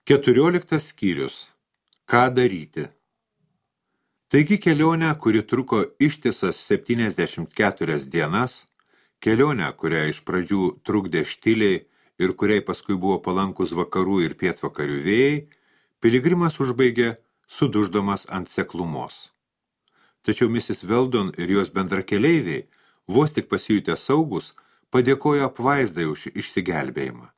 14 skyrius. Ką daryti? Taigi kelionę, kuri truko ištisas 74 dienas, kelionę, kurią iš pradžių trukdė štiliai ir kuriai paskui buvo palankus vakarų ir pietvakarių vėjai, piligrimas užbaigė suduždamas ant seklumos. Tačiau Mrs. Weldon ir jos bendrakeleiviai, vos tik pasijutę saugus, padėkojo apvaizdai už išsigelbėjimą.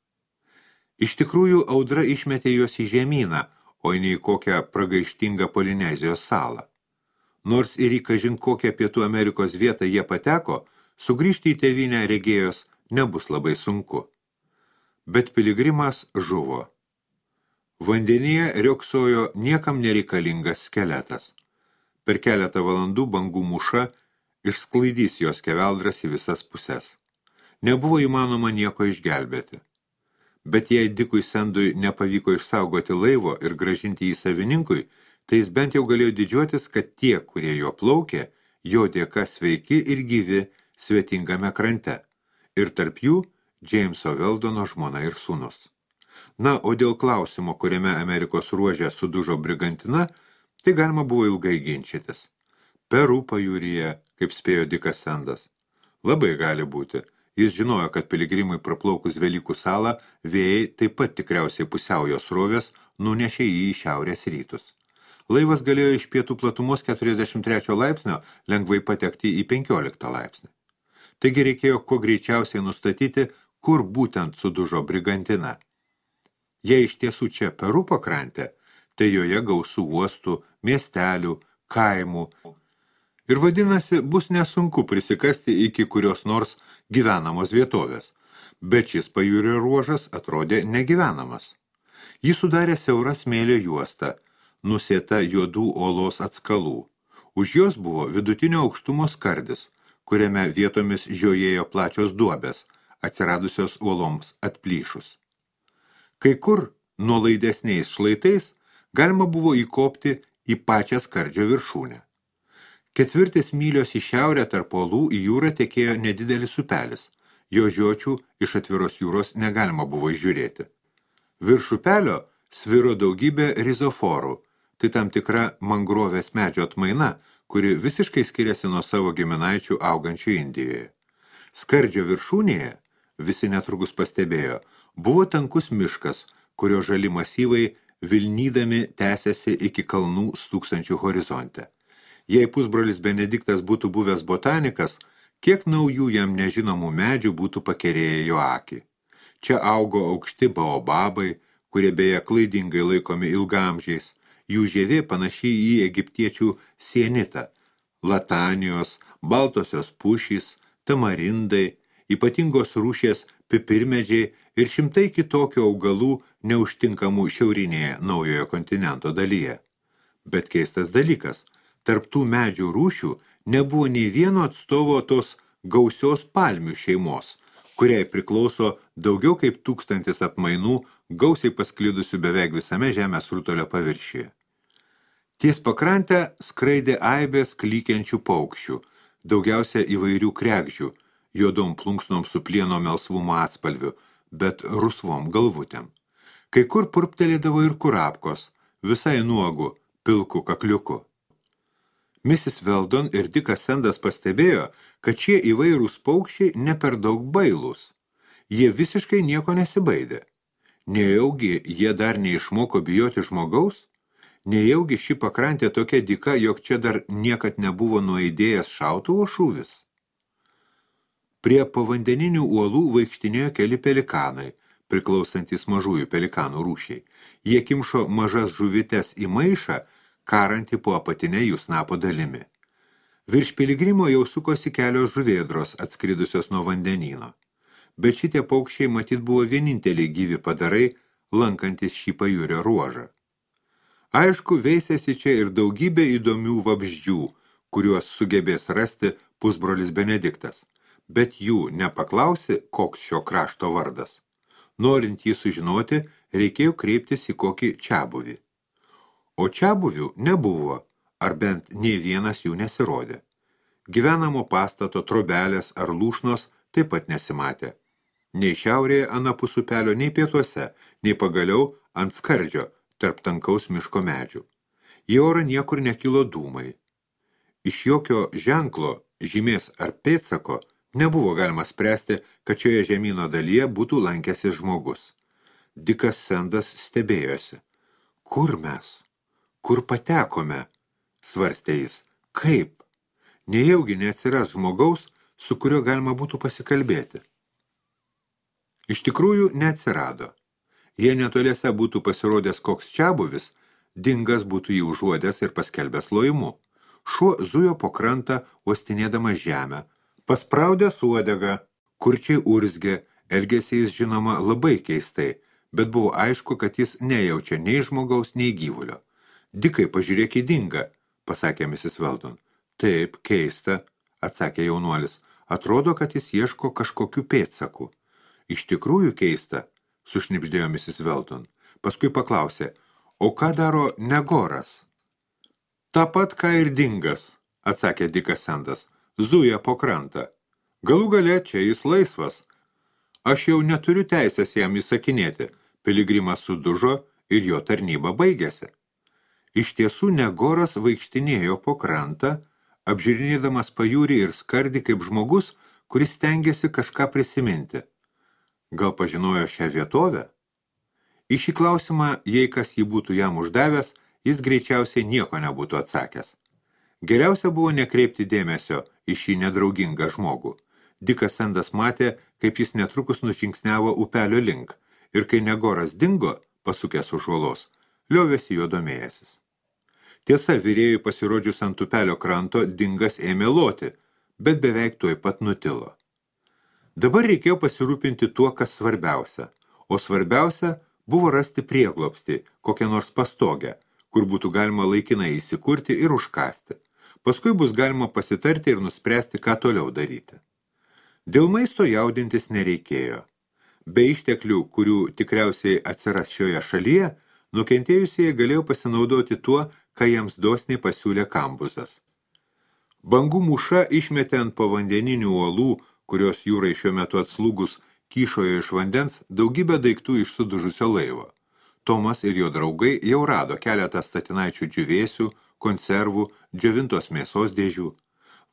Iš tikrųjų, audra išmetė juos į žemyną, o ne į kokią pragaištingą Polinezijos salą. Nors ir į kažin kokią Pietų Amerikos vietą jie pateko, sugrįžti į tėvynę regėjos nebus labai sunku. Bet piligrimas žuvo. Vandenyje riogsojo niekam nereikalingas skeletas. Per keletą valandų bangų mūša išsklaidys jos skeveldras į visas puses. Nebuvo įmanoma nieko išgelbėti. Bet jei Dikui Sendui nepavyko išsaugoti laivo ir gražinti jį savininkui, tai jis bent jau galėjo didžiuotis, kad tie, kurie jo plaukė, jo dėka sveiki ir gyvi svetingame krante, ir tarp jų Jameso Weldono žmona ir sūnus. Na, o dėl klausimo, kuriame Amerikos ruože sudužo brigantina, tai galima buvo ilgai ginčytis. Peru pajūryje, kaip spėjo Dikas Sendas. Labai gali būti. Jis žinojo, kad piligrimui praplaukus Velykų salą, vėjai taip pat tikriausiai pusiaujos srovės nunešė jį į šiaurės rytus. Laivas galėjo iš pietų platumos 43 laipsnio lengvai patekti į 15 laipsnį. Taigi reikėjo kuo greičiausiai nustatyti, kur būtent sudužo brigantina. Jei iš tiesų čia Peru pakrantė, tai joje gausų uostų, miestelių, kaimų. Ir vadinasi, bus nesunku prisikasti iki kurios nors gyvenamos vietovės, bet šis pajūrio ruožas atrodė negyvenamas. Jį sudarė siaura smėlio juosta, nusėta juodų olos atskalų. Už jos buvo vidutinio aukštumo skardis, kuriame vietomis žiojėjo plačios duobės, atsiradusios uoloms atplyšus. Kai kur nuolaidesniais šlaitais galima buvo įkopti į pačią skardžio viršūnę. 4 mylios į šiaurę tarp uolų į jūrą tekėjo nedidelis upelis. Jo žiočių iš atviros jūros negalima buvo išžiūrėti. Virš upelio sviro daugybė rizoforų, tai tam tikra mangrovės medžio atmaina, kuri visiškai skiriasi nuo savo giminaičių augančių Indijoje. Skardžio viršūnėje, visi netrukus pastebėjo, buvo tankus miškas, kurio žali masyvai vilnydami tęsėsi iki kalnų stūksančių horizonte. Jei pusbrolis Benediktas būtų buvęs botanikas, kiek naujų jam nežinomų medžių būtų pakerėję jo akį. Čia augo aukšti baobabai, kurie beje klaidingai laikomi ilgaamžiais, jų žievė panašiai į egiptiečių sienitą, latanijos, baltosios pušys, tamarindai, ypatingos rūšies pipirmedžiai ir šimtai kitokių augalų neužtinkamų šiaurinėje naujojo kontinento dalyje. Bet keistas dalykas – tarp tų medžių rūšių nebuvo nei vieno atstovo tos gausios palmių šeimos, kuriai priklauso daugiau kaip 1000 atmainų, gausiai pasklidusių beveik visame žemės rutulio paviršiuje. Ties pakrantę skraidė aibės klykiančių paukščių, daugiausia įvairių kregždžių, juodom plunksnom su plieno melsvumo atspalviu, bet rusvom galvutėm. Kai kur purptelėdavo ir kurapkos, visai nuogu, pilku kakliuku. Mrs. Weldon ir Dikas Sendas pastebėjo, kad šie įvairūs paukščiai ne per daug bailūs. Jie visiškai nieko nesibaidė. Nejaugi jie dar neišmoko bijoti žmogaus? Nejaugi ši pakrantė tokia dyka, jog čia dar niekad nebuvo nuaidėjęs šautuvo šūvis? Prie povandeninių uolų vaikštinėjo keli pelikanai, priklausantys mažųjų pelikanų rūšiai. Jie kimšo mažas žuvites į maišą, karantį po apatinę jų snapo dalimi. Virš piligrimo jau sukosi kelios žuvėdros atskridusios nuo vandenyno. Bet šitie paukščiai matyt buvo vieninteliai gyvi padarai, lankantis šį pajūrio ruožą. Aišku, veisėsi čia ir daugybė įdomių vabzdžių, kuriuos sugebės rasti pusbrolis Benediktas, bet jų nepaklausi, koks šio krašto vardas. Norint jį sužinoti, reikėjo kreiptis į kokį čiabuvį. O čiabuvių nebuvo, ar bent nei vienas jų nesirodė. Gyvenamo pastato, trobelės ar lūšnos taip pat nesimatė. Nei šiaurėje anapus upelio, nei pietuose, nei pagaliau ant skardžio tarp tankaus miško medžių. Į orą niekur nekilo dūmai. Iš jokio ženklo, žymės ar pėdsako nebuvo galima spręsti, kad šioje žemyno dalyje būtų lankęsis žmogus. Dikas Sendas stebėjosi. Kur mes? Kur patekome? Svarstė jis. Kaip? Nejaugi neatsiras žmogaus, su kuriuo galima būtų pasikalbėti. Iš tikrųjų neatsirado. Jei netoliese būtų pasirodęs koks čiabuvis, Dingas būtų jį užuodęs ir paskelbęs lojimu. Šuo zujo po krantą, uostinėdamas žemę, paspraudęs uodegą, kurčiai urzgė, elgėsi jis žinoma labai keistai, bet buvo aišku, kad jis nejaučia nei žmogaus, nei gyvulio. Dikai, pažiūrėk į Dingą, pasakė Mrs. Weldon. Taip, keista, atsakė jaunuolis. Atrodo, kad jis ieško kažkokių pėdsakų. Iš tikrųjų keista, sušnibždėjo Mrs. Weldon. Paskui paklausė, o ką daro Negoras? Ta pat, ką ir Dingas, atsakė Dikas Sendas. Zuja po krantą. Galų gale čia jis laisvas. Aš jau neturiu teisės jam įsakinėti. Piligrimas sudužo ir jo tarnyba baigėsi. Iš tiesų Negoras vaikštinėjo po krantą, apžiūrinėdamas pajūrį ir skardį kaip žmogus, kuris stengiasi kažką prisiminti. Gal pažinojo šią vietovę? Į šį klausimą, jei kas jį būtų jam uždavęs, jis greičiausiai nieko nebūtų atsakęs. Geriausia buvo nekreipti dėmesio į šį nedraugingą žmogų. Dikas Sendas matė, kaip jis netrukus nužingsniavo upelio link, ir kai Negoras dingo, pasukęs už uolos, liovėsi juo domėjęsis. Tiesa, vyrėjui pasirodžius ant upelio kranto, Dingas ėmė loti, bet beveik tuoj pat nutilo. Dabar reikėjo pasirūpinti tuo, kas svarbiausia, o svarbiausia buvo rasti prieglobstį, kokią nors pastogę, kur būtų galima laikinai įsikurti ir užkasti. Paskui bus galima pasitarti ir nuspręsti, ką toliau daryti. Dėl maisto jaudintis nereikėjo. Be išteklių, kurių tikriausiai atsiras šioje šalyje, nukentėjusieji galėjo pasinaudoti tuo, ką jiems dosniai pasiūlė Kambuzas. Bangų mūša išmetė ant povandeninių uolų, kurios jūrai šiuo metu atslūgus kyšojo iš vandens, daugybę daiktų iš sudužusio laivo. Tomas ir jo draugai jau rado keletą statinaičių džiūvėsių, konservų, džiovintos mėsos dėžių.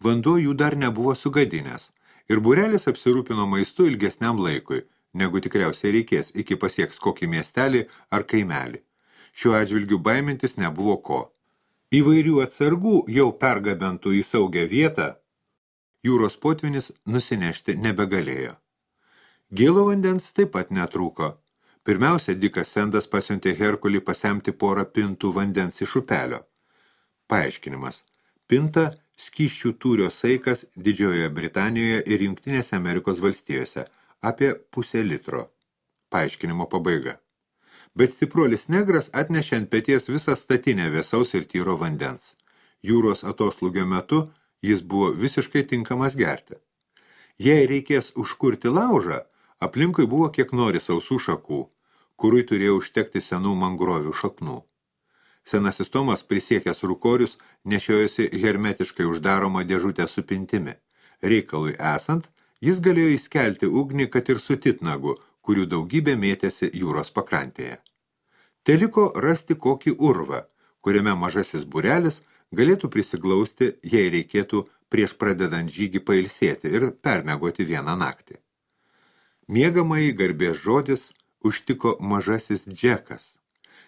Vanduo jų dar nebuvo sugadinęs, ir būrelis apsirūpino maistu ilgesniam laikui, negu tikriausiai reikės, iki pasieks kokį miestelį ar kaimelį. Šiuo atžvilgiu baimintis nebuvo ko. Įvairių atsargų jau pergabentų į saugią vietą, jūros potvinis nusinešti nebegalėjo. Gėlo vandens taip pat netrūko. Pirmiausia, Dikas Sendas pasiuntė Herkulį pasemti porą pintų vandens iš upelio. Paaiškinimas. Pinta skysčių tūrio saikas Didžiojoje Britanijoje ir Jungtinėse Amerikos valstijose, apie 0,5 litro. Paaiškinimo pabaiga. Bet stipruolis negras atnešė ant peties visą statinę vėsaus ir tyro vandens. Jūros atoslūgio metu jis buvo visiškai tinkamas gerti. Jei reikės užkurti laužą, aplinkui buvo kiek nori sausų šakų, kurui turėjo užtekti senų mangrovių šaknų. Senasis Tomas prisiekęs rūkorius nešiojosi hermetiškai uždaromą dėžutę su pintimi. Reikalui esant, jis galėjo įskelti ugnį, kad ir su titnagu, kurių daugybė mėtėsi jūros pakrantėje. Teliko rasti kokį urvą, kuriame mažasis būrelis galėtų prisiglausti, jei reikėtų prieš pradedant žygį pailsėti ir permiegoti vieną naktį. Miegamąjį garbės žodis užtiko mažasis Džekas.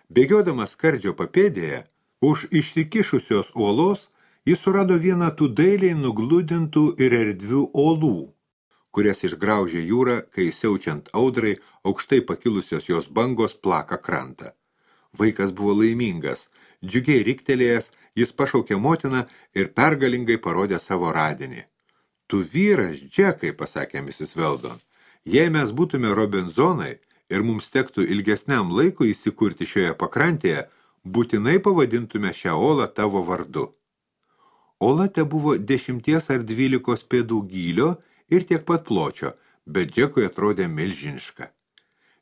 Bėgiodamas skardžio papėdėje, už išsikišusios uolos, jis surado vieną tų dailiai nugludintų ir erdvių uolų, kurias išgraužė jūra, kai siaučiant audrai, aukštai pakilusios jos bangos plaka krantą. Vaikas buvo laimingas. Džiugiai riktelėjęs, jis pašaukė motiną ir pergalingai parodė savo radinį. Tu vyras, Džekai, pasakė Mrs. Weldon. Jei mes būtume Robinzonai ir mums tektų ilgesniam laikui įsikurti šioje pakrantėje, būtinai pavadintume šią olą tavo vardu. Ola te buvo 10 ar 12 pėdų gylio ir tiek pat pločio, bet Džekui atrodė milžiniška.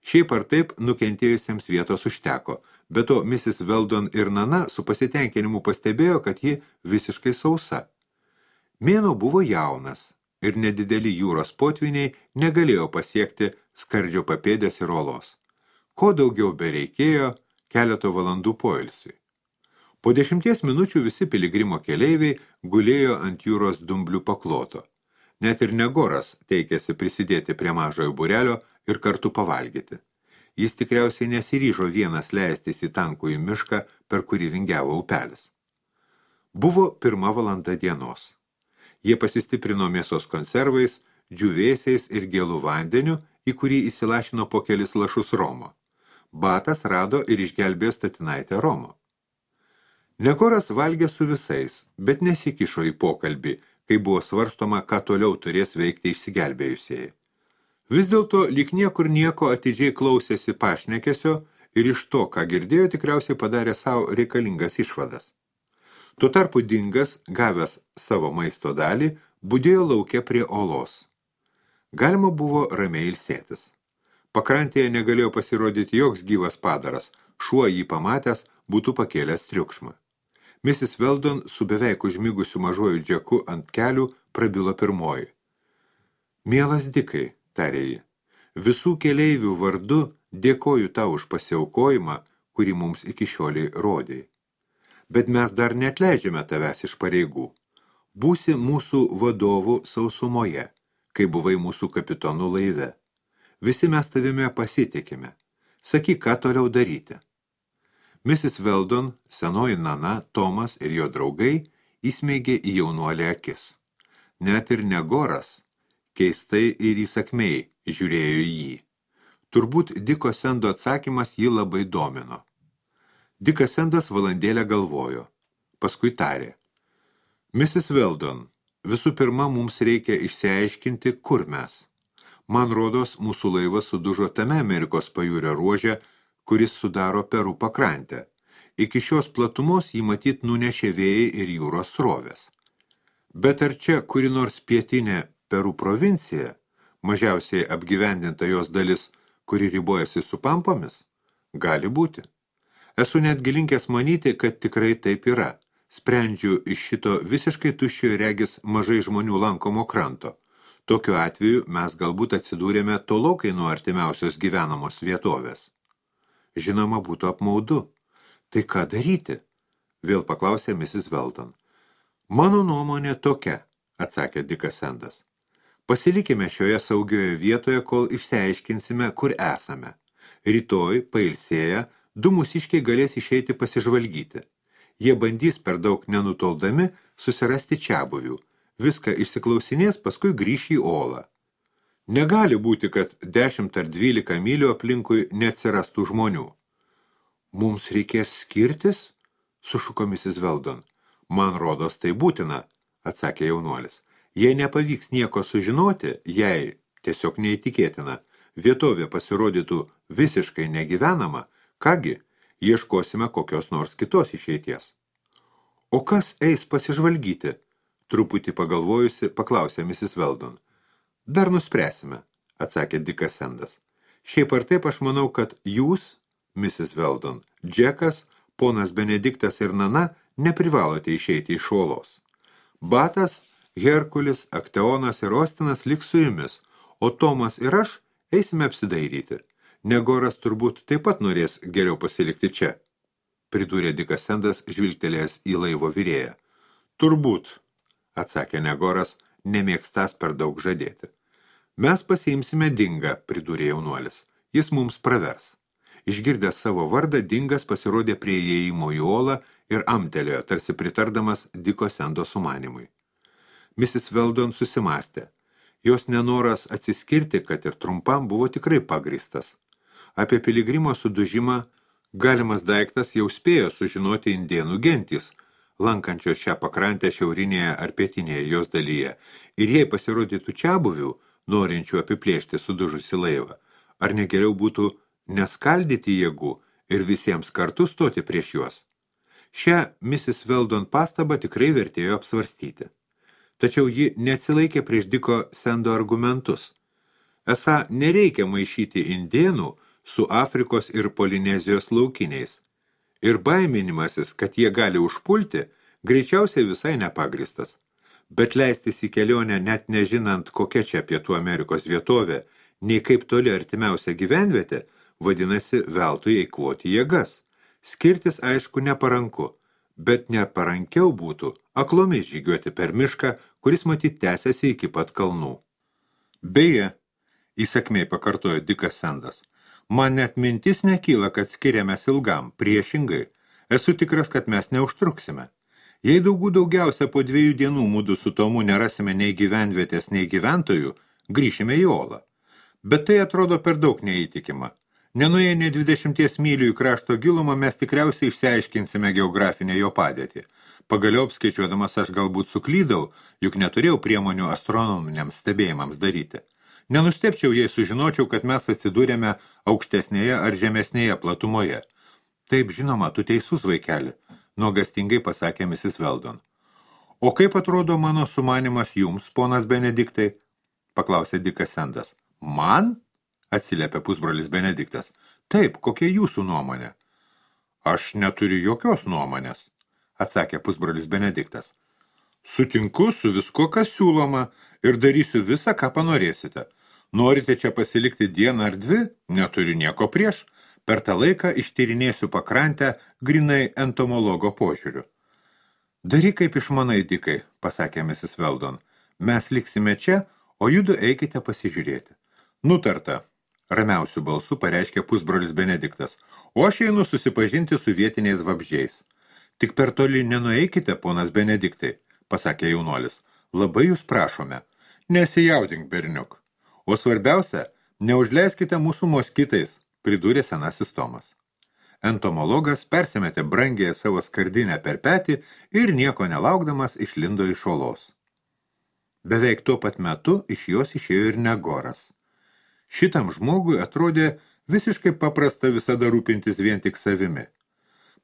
Šiaip ar taip nukentėjusiems vietos užteko, bet to Mrs. Weldon ir Nana su pasitenkinimu pastebėjo, kad ji visiškai sausa. Mėnuo buvo jaunas ir nedideli jūros potviniai negalėjo pasiekti skardžio papėdės ir olos. ko daugiau bereikėjo keleto valandų poilsiui. Po 10 minučių visi piligrimo keleiviai gulėjo ant jūros dumblių pakloto. Net ir Negoras teikėsi prisidėti prie mažojo būrelio ir kartu pavalgyti. Jis tikriausiai nesiryžo vienas leistis į tankųjį mišką, per kurį vingiavo upelis. Buvo 1 valanda dienos. Jie pasistiprino mėsos konservais, džiūvėsiais ir gėlų vandeniu, į kurį įsilašino po kelis lašus romo. Batas rado ir išgelbėjo statinaitę romo. Negoras valgė su visais, bet nesikišo į pokalbį, kai buvo svarstoma, ką toliau turės veikti išsigelbėjusieji. Vis dėlto lyg niekur nieko atidžiai klausėsi pašnekesio ir iš to, ką girdėjo, tikriausiai padarė savo reikalingas išvadas. Tuo tarpu Dingas, gavęs savo maisto dalį, budėjo lauke prie olos. Galima buvo ramiai ilsėtis. Pakrantėje negalėjo pasirodyti joks gyvas padaras, šuo jį pamatęs būtų pakėlęs triukšmą. Mrs. Weldon su beveik užmigusiu mažuoju Džeku ant kelių prabilo pirmoji. Mielas Dikai, tarė ji, visų keleivių vardu dėkoju tau už pasiaukojimą, kurį mums iki šioliai rodėjai. Bet mes dar neatleidžiame tavęs iš pareigų. Būsi mūsų vadovų sausumoje, kai buvai mūsų kapitonų laive. Visi mes tavime pasitikime. Sakyk, ką toliau daryti. Mrs. Weldon, senoji Nana, Tomas ir jo draugai įsmeigė į jaunuolį akis. Net ir Negoras, keistai ir įsakmiai, žiūrėjo į jį. Turbūt Diko Sendo atsakymas jį labai domino. Dikas Sendas valandėlę galvojo. Paskui tarė. Mrs. Weldon, visų pirma, mums reikia išsiaiškinti, kur mes. Man rodos, mūsų laivas sudužo tame Amerikos pajūrio ruože, kuris sudaro Peru pakrantę. Iki šios platumos jį matyt nunešė vėjai ir jūros srovės. Bet ar čia kuri nors pietinė Peru provincija, mažiausiai apgyvendinta jos dalis, kuri ribojasi su Pampomis? Gali būti. Esu netgi linkęs manyti, kad tikrai taip yra. Sprendžiu iš šito visiškai tuščio ir regis mažai žmonių lankomo kranto. Tokiu atveju mes galbūt atsidūrėme tolokai nuo artimiausios gyvenamos vietovės. Žinoma, būtų apmaudu. Tai ką daryti? Vėl paklausė Mrs. Weldon. Mano nuomonė tokia, atsakė Dikas Sendas. Pasilikime šioje saugioje vietoje, kol išsiaiškinsime, kur esame. Rytoj, pailsėję, 2 mūsiškiai galės išeiti pasižvalgyti. Jie bandys per daug nenutoldami susirasti čiabuvių. Viską išsiklausinės, paskui grįš į olą. Negali būti, kad 10 ar 12 mylių aplinkui neatsirastų žmonių. Mums reikės skirtis? Sušuko Mrs. Weldon. Man rodos tai būtina, atsakė jaunuolis. Jei nepavyks nieko sužinoti, jei, tiesiog neįtikėtina, vietovė pasirodytų visiškai negyvenama, kągi, ieškosime kokios nors kitos išeities. O kas eis pasižvalgyti? Truputį pagalvojusi, paklausė Mrs. Weldon. Dar nuspręsime, atsakė Dikas Sendas. Šiaip ar taip aš manau, kad jūs, Mrs. Weldon, Džekas, ponas Benediktas ir Nana neprivalote išeiti iš olos. Batas, Herkulis, Akteonas ir Ostinas liks su jumis, o Tomas ir aš eisime apsidairyti. Negoras turbūt taip pat norės geriau pasilikti čia, pridūrė Dikas Sendas žvilgtelėjęs į laivo virėją. Turbūt, atsakė Negoras, nemėgstas per daug žadėti. Mes pasiimsime Dingą, pridūrė jaunuolis. Jis mums pravers. Išgirdęs savo vardą, Dingas pasirodė prie įėjimo į olą ir amtelėjo, tarsi pritardamas Diko Sendo sumanimui. Mrs. Weldon susimastė. Jos nenoras atsiskirti, kad ir trumpam, buvo tikrai pagristas. Apie piligrimo sudužimą galimas daiktas jau spėjo sužinoti indėnų gentys, lankančios šią pakrantę šiaurinėje ar pietinėje jos dalyje, ir jei pasirodytų čiabuvių, norinčių apiplėšti sudužusi laivą, ar negeriau būtų neskaldyti jėgų ir visiems kartu stoti prieš juos. Šią Mrs. Weldon pastabą tikrai vertėjo apsvarstyti. Tačiau ji neatsilaikė prieš Diko Sendo argumentus. Esą nereikia maišyti indėnų su Afrikos ir Polinezijos laukiniais. Ir baiminimasis, kad jie gali užpulti, greičiausiai visai nepagristas. Bet leistis į kelionę net nežinant, kokia čia Pietų Amerikos vietovė, nei kaip toli artimiausia gyvenvietė, vadinasi veltui eikvoti jėgas. Skirtis, aišku, neparanku, bet neparankiau būtų aklomis žygiuoti per mišką, kuris matyt tęsiasi iki pat kalnų. Beje, įsakmiai pakartojo Dikas Sendas, man net mintis nekyla, kad skiriamės ilgam, priešingai. Esu tikras, kad mes neužtruksime. Jei daugiausia po 2 dienų mudu su Tomu nerasime nei gyvenvietės, nei gyventojų, grįšime į Olą. Bet tai atrodo per daug neįtikima. Nenuėję nei 20 mylių į krašto gilumą, mes tikriausiai išsiaiškinsime geografinę jo padėtį. Pagaliau apskaičiuodamas aš galbūt suklydau, juk neturėjau priemonių astronominiams stebėjimams daryti. Nenustepčiau, jei sužinočiau, kad mes atsidūrėme aukštesnėje ar žemesnėje platumoje. Taip, žinoma, tu teisus, vaikeli, nuogastingai pasakė Mrs. Weldon. O kaip atrodo mano sumanimas jums, ponas Benediktai? Paklausė Dikas Sendas. Man? Atsiliepė pusbrolis Benediktas. Taip, kokia jūsų nuomonė? Aš neturiu jokios nuomonės, atsakė pusbrolis Benediktas. Sutinku su visko, kas siūloma, ir darysiu visą, ką panorėsite. Norite čia pasilikti dieną ar 2? Neturiu nieko prieš. Per tą laiką ištyrinėsiu pakrantę grinai entomologo požiūriu. Daryk kaip išmanai, Dikai, pasakė Mrs. Weldon. Mes liksime čia, o judu eikite pasižiūrėti. Nutarta, ramiausių balsų pareiškė pusbrolis Benediktas, o aš einu susipažinti su vietiniais vabzdžiais. Tik per toli nenueikite, ponas Benediktai, pasakė jaunuolis. Labai jūs prašome. Nesijaudink, berniuk. O svarbiausia, neužleiskite mūsų moskitais, pridūrė senasis Tomas. Entomologas persimetė brangiąją savo skardinę per petį ir nieko nelaukdamas išlindo iš olos. Beveik tuo pat metu iš jos išėjo ir Negoras. Šitam žmogui atrodė visiškai paprasta visada rūpintis vien tik savimi.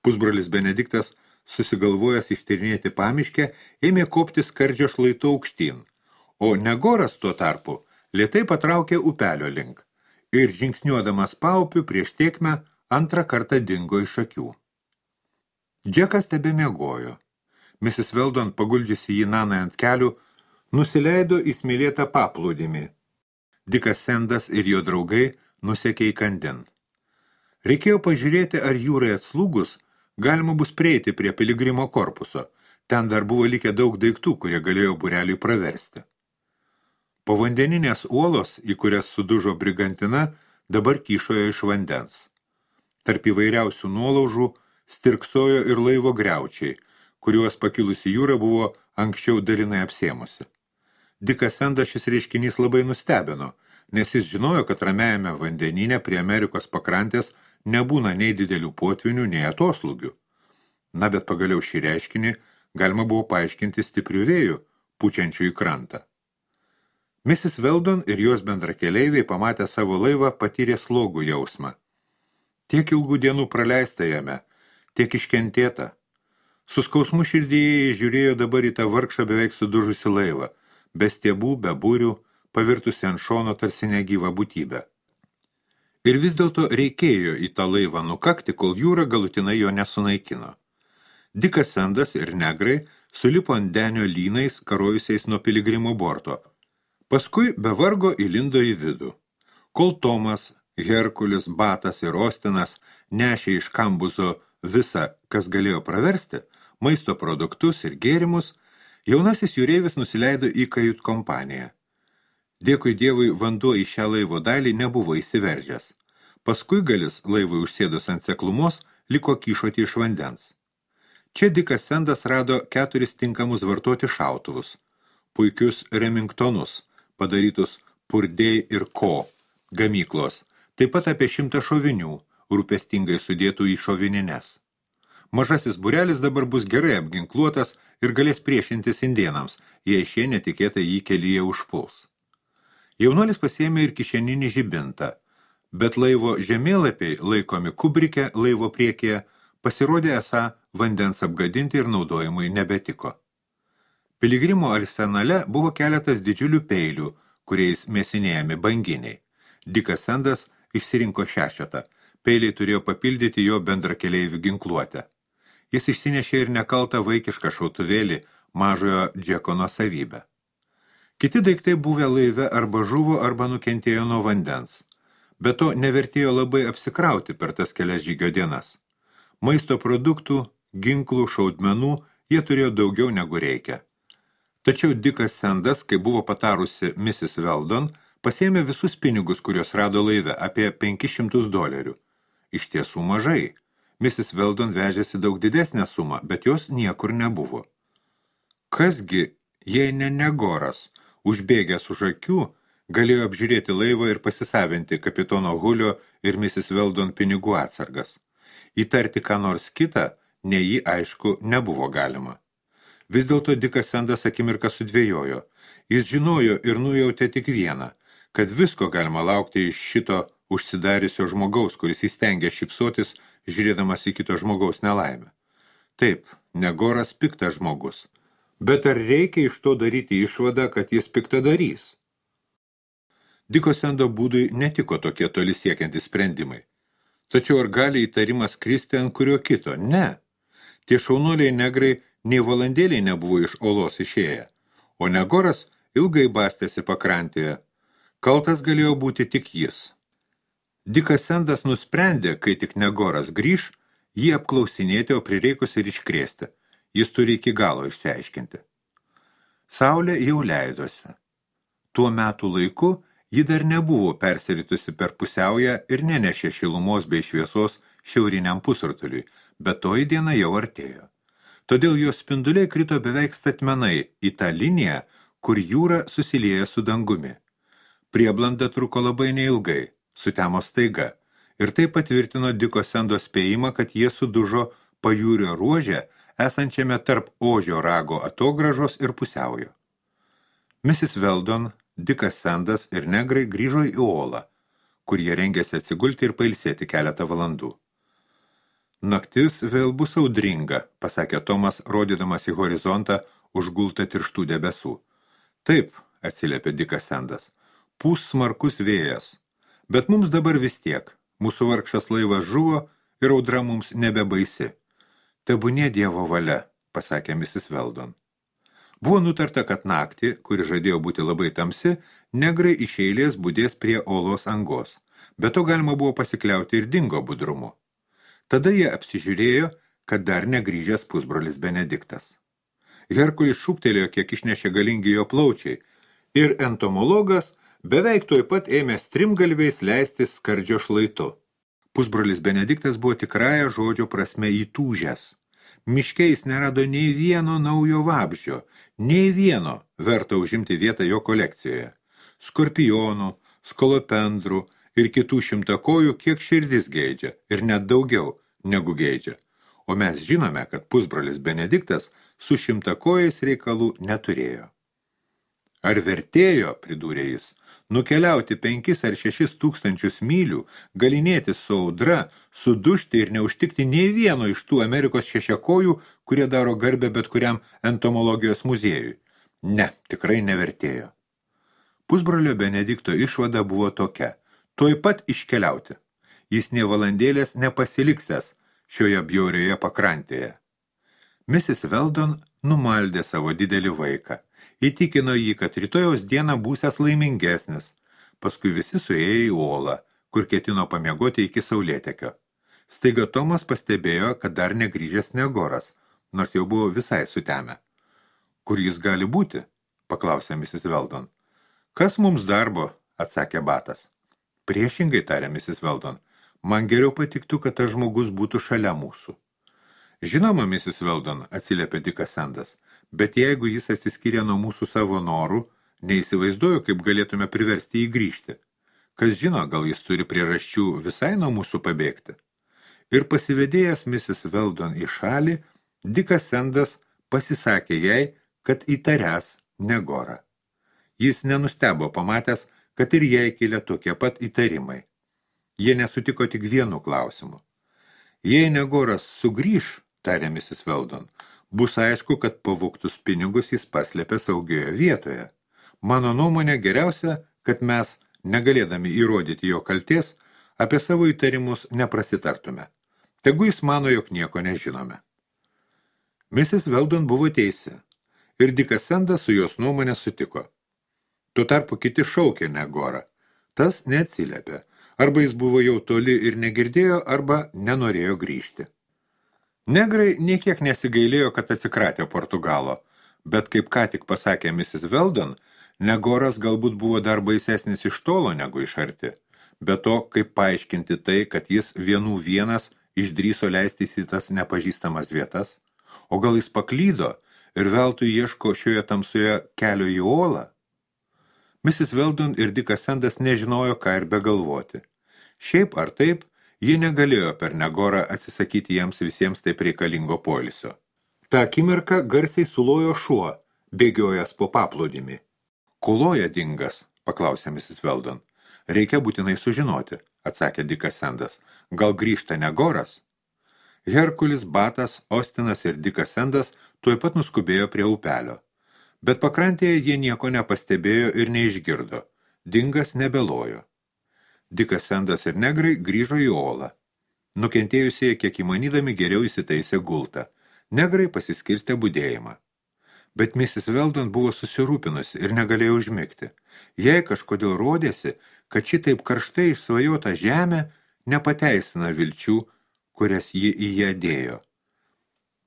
Pusbrolis Benediktas, susigalvojęs ištyrinėti pamiškę, ėmė kopti skardžio šlaitu aukštyn, o Negoras tuo tarpu lėtai patraukė upelio link ir žingsniuodamas paupiu prieš tėkmę antrą kartą dingo iš akių. Džekas tebemiegojo. Mrs. Weldon, paguldžiusi jį Nanai ant kelių, nusileido į smėlėtą paplūdimį. Dikas Sendas ir jo draugai nusekė į kandin. Reikėjo pažiūrėti, ar jūrai atslūgus galima bus prieiti prie piligrimo korpuso. Ten dar buvo likę daug daiktų, kurie galėjo būreliui praversti. Povandeninės uolos, į kurias sudužo brigantina, dabar kyšojo iš vandens. Tarp įvairiausių nuolaužų stirksojo ir laivo griaučiai, kuriuos pakilusi jūra buvo anksčiau dalinai apsėmusi. Dikas Sendas šis reiškinys labai nustebino, nes jis žinojo, kad ramiajame vandenyne prie Amerikos pakrantės nebūna nei didelių potvinių, nei atoslūgių. Na, bet pagaliau šį reiškinį galima buvo paaiškinti stiprių vėjų, pučiančių į krantą. Mrs. Weldon ir jos bendrakeleiviai pamatę savo laivą patyrė slogų jausmą. Tiek ilgų dienų praleista jame, tiek iškentėta. Su skausmu širdyje žiūrėjo dabar į tą vargšą beveik sudužusi laivą, be stiebų, be būrių, pavirtusi ant šono tarsi negyvą būtybę. Ir vis dėlto reikėjo į tą laivą nukakti, kol jūra galutinai jo nesunaikino. Dikas Sendas ir negrai sulipo ant denio lynais, karojusiais nuo piligrimo borto. Paskui be vargo įlindo į vidų. Kol Tomas, Herkulis, Batas ir Ostinas nešė iš kambuzo visą, kas galėjo praversti, maisto produktus ir gėrimus, jaunasis jūreivis nusileido į kajut kompaniją. Dėkui Dievui, vanduo į šią laivo dalį nebuvo įsiveržęs. Paskui galis laivui užsėdus ant seklumos liko kyšoti iš vandens. Čia Dikas Sendas rado 4 tinkamus vartoti šautuvus, puikius Remingtonus, padarytus Purdey ir Co. gamyklos, taip pat apie 100 šovinių, rūpestingai sudėtų į šovinines. Mažasis būrelis dabar bus gerai apginkluotas ir galės priešintis indėnams, jei šie netikėtai jį kelyje užpuls. Jaunuolis pasiėmė ir kišeninį žibintą, bet laivo žemėlapiai, laikomi kubrike laivo priekyje, pasirodė esą vandens apgadinti ir naudojimui nebetiko. Piligrimo arsenale buvo keletas didžiulių peilių, kuriais mėsinėjami banginiai. Dikas Sendas išsirinko 6. Peiliai turėjo papildyti jo bendrakeleivių ginkluotę. Jis išsinešė ir nekaltą vaikišką šautuvėlį mažojo Džeko nuosavybę. Kiti daiktai buvę laive arba žuvo, arba nukentėjo nuo vandens. Be to nevertėjo labai apsikrauti per tas kelias žygio dienas. Maisto produktų, ginklų, šaudmenų jie turėjo daugiau negu reikia. Tačiau Dikas Sendas, kai buvo patarusi Mrs. Weldon, pasėmė visus pinigus, kuriuos rado laive, apie $500. Iš tiesų mažai. Mrs. Weldon vežėsi daug didesnę sumą, bet jos niekur nebuvo. Kasgi, jei ne Negoras, užbėgęs už akių, galėjo apžiūrėti laivą ir pasisavinti kapitono Hulio ir Mrs. Weldon pinigų atsargas. Įtarti ką nors kitą, nei jį aišku, nebuvo galima. Vis dėlto Dikas Sendas akimirką sudvėjojo. Jis žinojo ir nujautė tik vieną, kad visko galima laukti iš šito užsidariusio žmogaus, kuris įstengė šypsotis, žiūrėdamas į kito žmogaus nelaimę. Taip, Negoras piktas žmogus. Bet ar reikia iš to daryti išvadą, kad jis piktadarys? Diko Sendo būdui netiko tokie toli siekiantys sprendimai. Tačiau ar gali įtarimas kristi ant kurio kito? Ne. Tie šaunuoliai negrai nei valandėliai nebuvo iš olos išėję, o Negoras ilgai bastėsi pakrantėje. Kaltas galėjo būti tik jis. Dikas Sendas nusprendė, kai tik Negoras grįš, jį apklausinėti, o prireikus ir iškrėsti. Jis turi iki galo išsiaiškinti. Saulė jau leidosi. Tuo metų laiku ji dar nebuvo persiritusi per pusiaują ir nenešė šilumos bei šviesos šiauriniam pusrutuliui, bet toji diena jau artėjo. Todėl jos spinduliai krito beveik statmenai į tą liniją, kur jūra susilieja su dangumi. Prieblanda truko labai neilgai, sutemo staiga, ir tai patvirtino Diko Sendo spėjimą, kad jie sudužo pajūrio ruože, esančiame tarp Ožio rago atogražos ir pusiaujo. Mrs. Weldon, Dikas Sendas ir negrai grįžo į Olą, kur jie rengėsi atsigulti ir pailsėti keletą valandų. Naktis vėl bus audringa, pasakė Tomas, rodydamas į horizontą užgultą tirštų debesų. Taip, atsiliepė Dikas Sendas, pūs smarkus vėjas, bet mums dabar vis tiek, mūsų vargšas laivas žuvo ir audra mums nebebaisi. Tebūnie Dievo valia, pasakė Mrs. Weldon. Buvo nutarta, kad naktį, kuri žadėjo būti labai tamsi, negrai iš eilės budės prie olos angos, bet to galima buvo pasikliauti ir dingo budrumu. Tada jie apsižiūrėjo, kad dar negrįžęs pusbrolis Benediktas. Herkulis šūktelėjo, kiek išnešė galingi jo plaučiai, ir entomologas beveik tuoj pat ėmė strimgalviais leistis skardžio šlaitu. Pusbrolis Benediktas buvo tikrąja žodžio prasme įtūžęs. Miške jis nerado nei vieno naujo vabzdžio, nei vieno verto užimti vietą jo kolekcijoje. Skorpionų, skolopendrų ir kitų šimtakojų kiek širdis geidžia, ir net daugiau negu geidžia. O mes žinome, kad pusbrolis Benediktas su šimtakojais reikalų neturėjo. Ar vertėjo, pridūrė jis, nukeliauti 5 ar 6 tūkstančius mylių, galinėtis su audra, sudužti ir neužtikti nei vieno iš tų Amerikos šešiakojų, kurie daro garbę bet kuriam entomologijos muziejui? Ne, tikrai nevertėjo. Pusbrolio Benedikto išvada buvo tokia: tuoj pat iškeliauti. Jis nė valandėlės nepasiliksęs šioje bjaurioje pakrantėje. Mrs. Weldon numaldė savo didelį vaiką. Įtikino jį, kad rytojaus dieną būsias laimingesnis. Paskui visi suėjo į Olą, kur ketino pamiegoti iki saulėtekio. Staiga Tomas pastebėjo, kad dar negrįžęs Negoras, nors jau buvo visai sutemę. Kur jis gali būti? Paklausė Mrs. Weldon. Kas mums darbo? Atsakė Batas. Priešingai, tarė Mrs. Weldon. Man geriau patiktų, kad tas žmogus būtų šalia mūsų. Žinoma, Mrs. Weldon, atsiliepė Dikas Sendas, bet jeigu jis atsiskyrė nuo mūsų savo norų, neįsivaizduoju, kaip galėtume priversti jį grįžti. Kas žino, gal jis turi priežasčių visai nuo mūsų pabėgti. Ir pasivedėjęs Mrs. Weldon į šalį, Dikas Sendas pasisakė jai, kad įtariąs Negorą. Jis nenustebo pamatęs, kad ir jai kilė tokie pat įtarimai. Jie nesutiko tik vienu klausimu. Jei Negoras sugrįš, tarė Mrs. Weldon, bus aišku, kad pavogtus pinigus jis paslėpė saugioje vietoje. Mano nuomonė geriausia, kad mes, negalėdami įrodyti jo kaltės, apie savo įtarimus neprasitartume. Tegu jis mano, jog nieko nežinome. Mrs. Weldon buvo teisi, ir Dikas Sendas su jos nuomonė sutiko. Tuo tarpu kiti šaukė Negorą. Tas neatsiliepė. Arba jis buvo jau toli ir negirdėjo, arba nenorėjo grįžti. Negrai niekiek nesigailėjo, kad atsikratė Portugalo, bet kaip ką tik pasakė Mrs. Weldon, Negoras galbūt buvo dar baisesnis iš tolo negu iš arti. Be to, kaip paaiškinti tai, kad jis vienų vienas išdryso leistis į tas nepažįstamas vietas, o gal jis paklydo ir veltui ieško šioje tamsoje kelio į olą? Mrs. Weldon ir Dickas Sandas nežinojo, ką ir begalvoti. Šiaip ar taip, jie negalėjo per Negorą atsisakyti jiems visiems taip reikalingo poilsio. Ta akimirką garsiai sulojo šuo, bėgiojęs po paplūdimį. Kuloja dingas, paklausė Mrs. Weldon. Reikia būtinai sužinoti, atsakė Dickas Sandas. Gal grįžta Negoras? Herkulis, Batas, Ostinas ir Dickas Sandas tuoj pat nuskubėjo prie upelio. Bet pakrantėje jie nieko nepastebėjo ir neišgirdo. Dingas nebelojo. Dickas Sandas ir negrai grįžo į olą. Nukentėjusieji, kiek įmanydami, geriau įsitaisė gultą. Negrai pasiskirstė budėjimą. Bet Mrs. Weldon buvo susirūpinusi ir negalėjo užmigti. Jai kažkodėl rodėsi, kad šitaip karštai išsvajota žemė nepateisina vilčių, kurias ji į ją dėjo.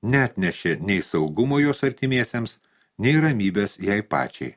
Neatnešė nei saugumo jos artimiesiems, nei ramybės jai pačiai.